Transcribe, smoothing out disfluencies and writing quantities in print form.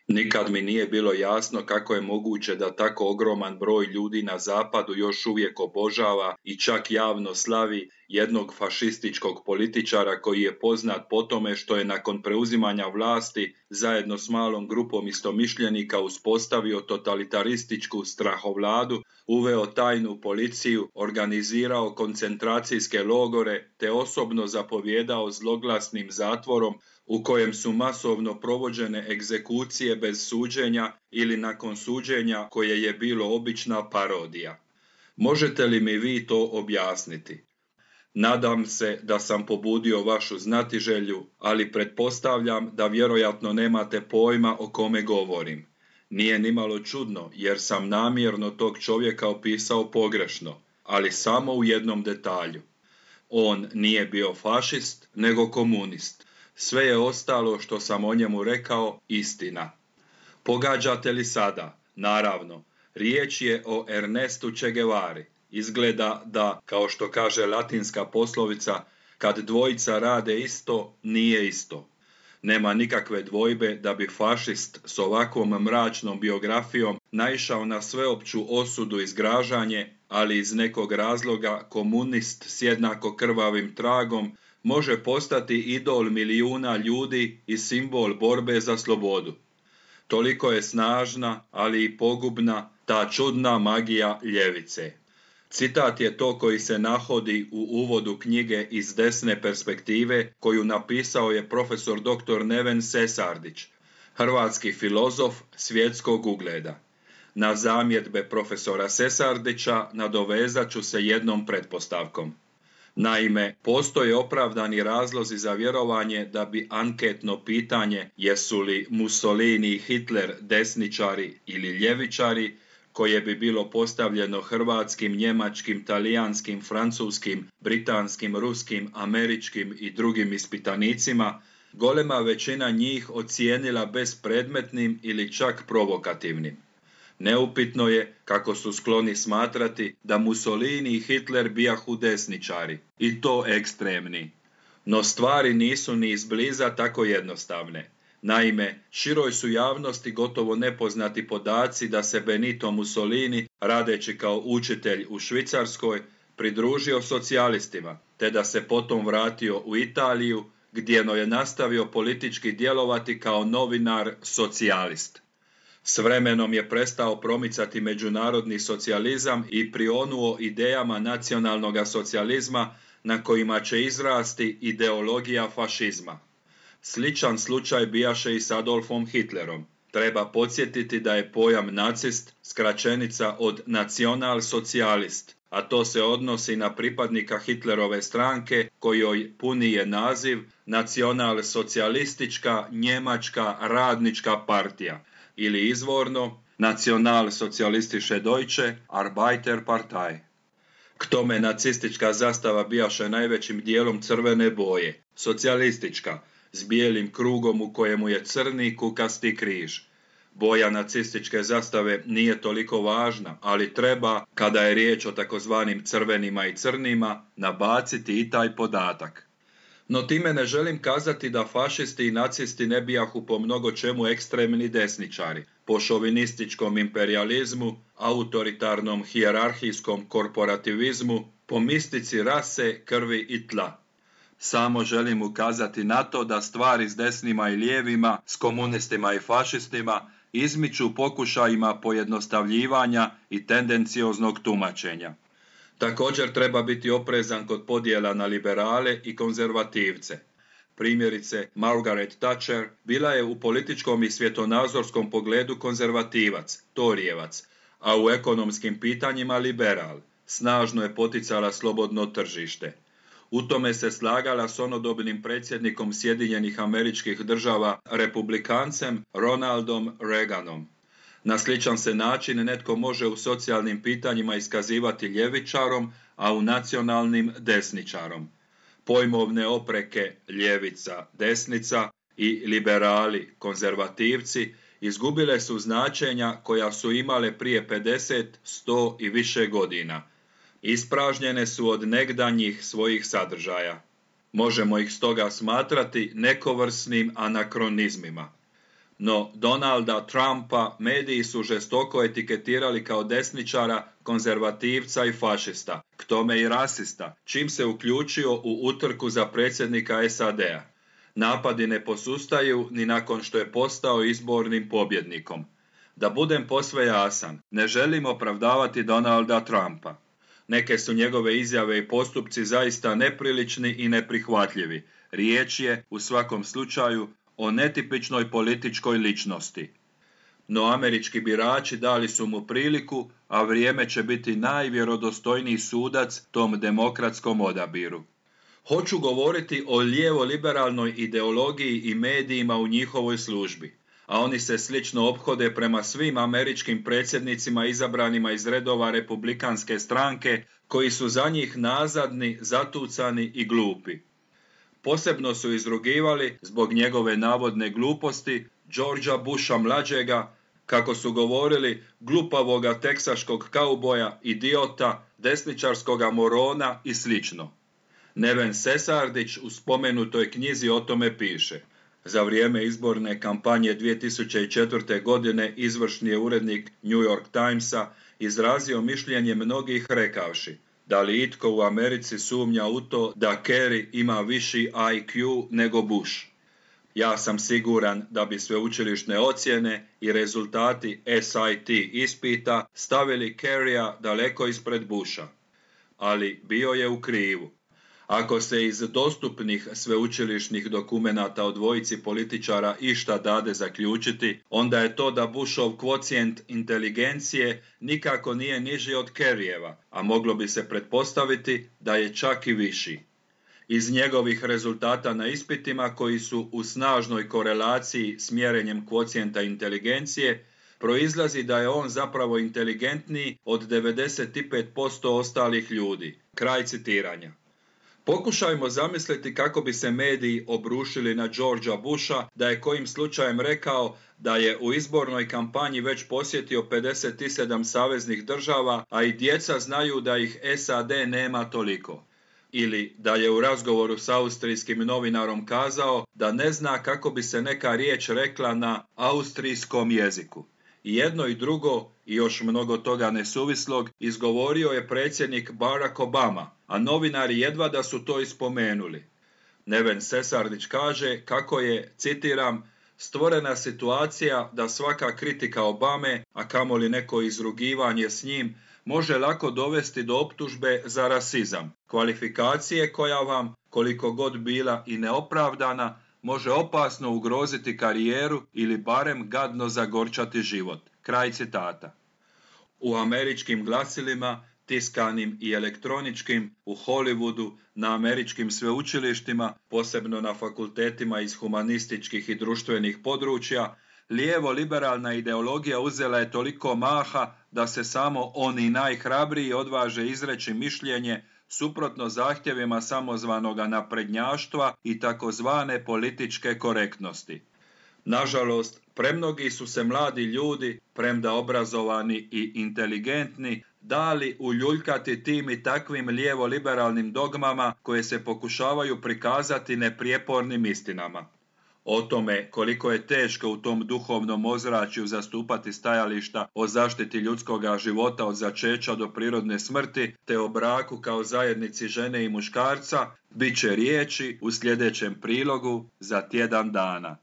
Nikad mi nije bilo jasno kako je moguće da tako ogroman broj ljudi na zapadu još uvijek obožava i čak javno slavi jednog fašističkog političara koji je poznat po tome što je nakon preuzimanja vlasti zajedno s malom grupom istomišljenika uspostavio totalitarističku strahovladu, uveo tajnu policiju, organizirao koncentracijske logore te osobno zapovijedao zloglasnim zatvorom u kojem su masovno provođene egzekucije bez suđenja ili nakon suđenja koje je bilo obična parodija. Možete li mi vi to objasniti? Nadam se da sam pobudio vašu znatiželju, ali pretpostavljam da vjerojatno nemate pojma o kome govorim. Nije nimalo čudno jer sam namjerno tog čovjeka opisao pogrešno, ali samo u jednom detalju. On nije bio fašist, nego komunist. Sve je ostalo što sam o njemu rekao istina. Pogađate li sada? Naravno, riječ je o Ernestu Che Guevari. Izgleda da, kao što kaže latinska poslovica, kad dvojica rade isto, nije isto. Nema nikakve dvojbe da bi fašist s ovakvom mračnom biografijom naišao na sveopću osudu i zgražanje, ali iz nekog razloga komunist s jednako krvavim tragom može postati idol milijuna ljudi i simbol borbe za slobodu. Toliko je snažna, ali i pogubna ta čudna magija ljevice. Citat je to koji se nahodi u uvodu knjige Iz desne perspektive koju napisao je profesor dr. Neven Sesardić, hrvatski filozof svjetskog ugleda. Na zamjedbe profesora Sesardića nadovezat ću se jednom pretpostavkom. Naime, postoje opravdani razlozi za vjerovanje da bi anketno pitanje jesu li Mussolini i Hitler desničari ili ljevičari, koje bi bilo postavljeno hrvatskim, njemačkim, talijanskim, francuskim, britanskim, ruskim, američkim i drugim ispitanicima, golema većina njih ocijenila bespredmetnim ili čak provokativnim. Neupitno je kako su skloni smatrati da Mussolini i Hitler bijahu desničari, i to ekstremni. No stvari nisu ni izbliza tako jednostavne. Naime, široj su javnosti gotovo nepoznati podaci da se Benito Mussolini, radeći kao učitelj u Švicarskoj, pridružio socijalistima, te da se potom vratio u Italiju, gdje je nastavio politički djelovati kao novinar socijalist. S vremenom je prestao promicati međunarodni socijalizam i prionuo idejama nacionalnog socijalizma na kojima će izrasti ideologija fašizma. Sličan slučaj bijaše i s Adolfom Hitlerom. Treba podsjetiti da je pojam nacist skraćenica od nacionalsocijalist, a to se odnosi na pripadnika Hitlerove stranke kojoj puni je naziv Nacionalsocijalistička njemačka radnička partija ili izvorno Nacionalsocijalistische Deutsche Arbeiterpartei. K tome nacistička zastava bijaše najvećim dijelom crvene boje, socijalistička, s bijelim krugom u kojemu je crni kukasti križ. Boja nacističke zastave nije toliko važna, ali treba, kada je riječ o takozvanim crvenima i crnima, nabaciti i taj podatak. No time ne želim kazati da fašisti i nacisti ne bijahu po mnogo čemu ekstremni desničari, po šovinističkom imperializmu, autoritarnom hijerarhijskom korporativizmu, po mistici rase, krvi i tla. Samo želim ukazati na to da stvari s desnima i lijevima, s komunistima i fašistima izmiču pokušajima pojednostavljivanja i tendencioznog tumačenja. Također treba biti oprezan kod podjela na liberale i konzervativce. Primjerice, Margaret Thatcher bila je u političkom i svjetonazorskom pogledu konzervativac, torijevac, a u ekonomskim pitanjima liberal. Snažno je poticala slobodno tržište. U tome se slagala s onodobnim predsjednikom Sjedinjenih Američkih Država, republikancem Ronaldom Reaganom. Na sličan se način netko može u socijalnim pitanjima iskazivati ljevičarom, a u nacionalnim desničarom. Pojmovne opreke ljevica, desnica i liberali, konzervativci izgubile su značenja koja su imale prije 50, 100 i više godina. Ispražnjene su od negdanjih svojih sadržaja. Možemo ih stoga smatrati nekovrsnim anakronizmima. No Donalda Trumpa mediji su žestoko etiketirali kao desničara, konzervativca i fašista, k tome i rasista, čim se uključio u utrku za predsjednika SAD-a. Napadi ne posustaju ni nakon što je postao izbornim pobjednikom. Da budem posve jasan, ne želim opravdavati Donalda Trumpa. Neke su njegove izjave i postupci zaista neprilični i neprihvatljivi. Riječ je, u svakom slučaju, o netipičnoj političkoj ličnosti. No američki birači dali su mu priliku, a vrijeme će biti najvjerodostojniji sudac tom demokratskom odabiru. Hoću govoriti o lijevo-liberalnoj ideologiji i medijima u njihovoj službi, a oni se slično ophode prema svim američkim predsjednicima izabranima iz redova republikanske stranke, koji su za njih nazadni, zatucani i glupi. Posebno su izrugivali, zbog njegove navodne gluposti, Georgea Busha mlađega, kako su govorili, glupavoga teksaškog kauboja, idiota, desničarskoga morona i slično. Neven Sesardić u spomenutoj knjizi o tome piše. Za vrijeme izborne kampanje 2004. godine izvršni je urednik New York Timesa izrazio mišljenje mnogih rekavši: da li itko u Americi sumnja u to da Kerry ima viši IQ nego Bush? Ja sam siguran da bi sveučilišne ocjene i rezultati SAT ispita stavili Kerrya daleko ispred Busha. Ali bio je u krivu. Ako se iz dostupnih sveučilišnih dokumenata o dvojici političara išta dade zaključiti, onda je to da Bushov kvocijent inteligencije nikako nije niži od Kerryjeva, a moglo bi se pretpostaviti da je čak i viši. Iz njegovih rezultata na ispitima, koji su u snažnoj korelaciji s mjerenjem kvocijenta inteligencije, proizlazi da je on zapravo inteligentniji od 95% ostalih ljudi. Kraj citiranja. Pokušajmo zamisliti kako bi se mediji obrušili na Georgea Busha da je kojim slučajem rekao da je u izbornoj kampanji već posjetio 57 saveznih država, a i djeca znaju da ih SAD nema toliko. Ili da je u razgovoru s austrijskim novinarom kazao da ne zna kako bi se neka riječ rekla na austrijskom jeziku. I jedno i drugo, i još mnogo toga nesuvislog, izgovorio je predsjednik Barack Obama, a novinari jedva da su to ispomenuli. Neven Sesardić kaže kako je, citiram, stvorena situacija da svaka kritika Obame, a kamoli neko izrugivanje s njim, može lako dovesti do optužbe za rasizam, kvalifikacije koja vam, koliko god bila i neopravdana, može opasno ugroziti karijeru ili barem gadno zagorčati život. Kraj citata. U američkim glasilima, tiskanim i elektroničkim, u Hollywoodu, na američkim sveučilištima, posebno na fakultetima iz humanističkih i društvenih područja, lijevo-liberalna ideologija uzela je toliko maha da se samo oni najhrabriji odvaže izreći mišljenje suprotno zahtjevima samozvanoga naprednjaštva i takozvane političke korektnosti. Nažalost, premnogi su se mladi ljudi, premda obrazovani i inteligentni, dali uljuljkati tim i takvim lijevo-liberalnim dogmama koje se pokušavaju prikazati neprijepornim istinama. O tome koliko je teško u tom duhovnom ozračju zastupati stajališta o zaštiti ljudskoga života od začeća do prirodne smrti, te o braku kao zajednici žene i muškarca, bit će riječi u sljedećem prilogu za tjedan dana.